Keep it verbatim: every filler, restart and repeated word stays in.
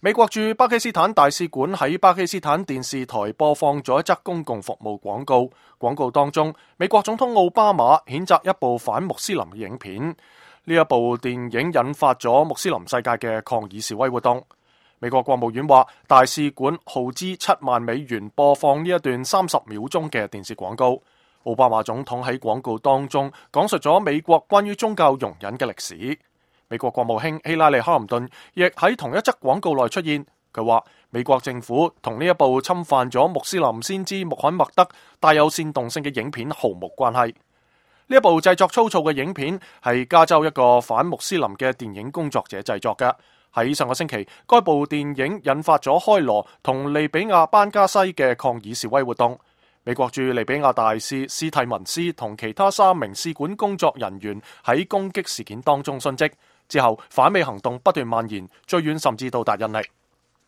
美國駐巴基斯坦大使館喺巴基斯坦電視台播放咗一則公共服務廣告，廣告當中，美國總統奧巴馬譴責一部反穆斯林嘅影片。呢一部電影引發咗穆斯林世界嘅抗議示威活動。美國國務院話，大使館耗資七萬美元播放呢一段三十秒鐘嘅電視廣告。奧巴馬總統喺廣告當中講述咗美國關於宗教容忍嘅歷史。美國國務卿希拉里·克林頓亦喺同一則廣告內出現，佢話美國政府同呢一部侵犯咗穆斯林先知穆罕默德帶有煽動性嘅影片毫無關係。呢一部製作粗糙嘅影片係加州一個反穆斯林嘅電影工作者製作嘅。喺上個星期，該部電影引發咗開羅同利比亞班加西嘅抗議示威活動。美國駐利比亞大使斯蒂文斯同其他三名使館工作人員喺攻擊事件當中殉職。之後，反美行動不斷蔓延，最遠甚至到達印尼。